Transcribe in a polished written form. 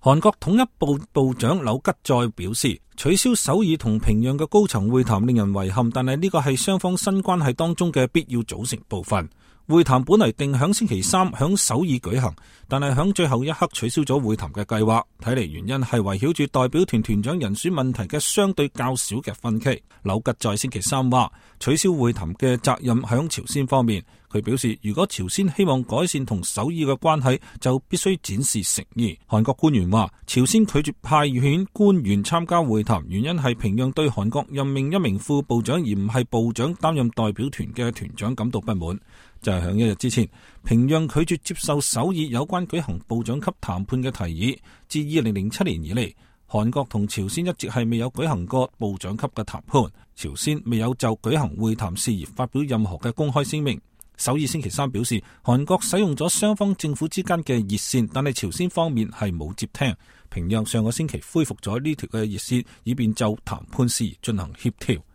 韓國統一部部長柳吉再表示，取消首爾同平壤嘅高層會談令人遺憾，但係呢個係雙方新關係當中嘅必要組成部分。會談本嚟定響星期三響首爾舉行，但係響最後一刻取消咗會談嘅計劃。睇嚟原因係圍繞住代表團團長人選問題嘅相對較少嘅分歧。柳吉在星期三話，取消會談嘅責任響朝鮮方面。佢表示，如果朝鮮希望改善同首爾嘅關係，就必須展示誠意。韓國官員話，朝鮮拒絕派遣官員參加會談，原因係平壤對韓國任命一名副部長而唔係部長擔任代表團嘅團長感到不滿。就係響一日之前，平壤拒絕接受首爾有關舉行部長級談判嘅提議。自2007年以嚟，韓國同朝鮮一直係未有舉行過部長級嘅談判。朝鮮未有就舉行會談事宜發表任何嘅公開聲明。首爾星期三表示，韓國使用咗雙方政府之間嘅熱線，但係朝鮮方面係冇接聽。平壤上個星期恢復咗呢條嘅熱線，以便就談判事宜進行協調。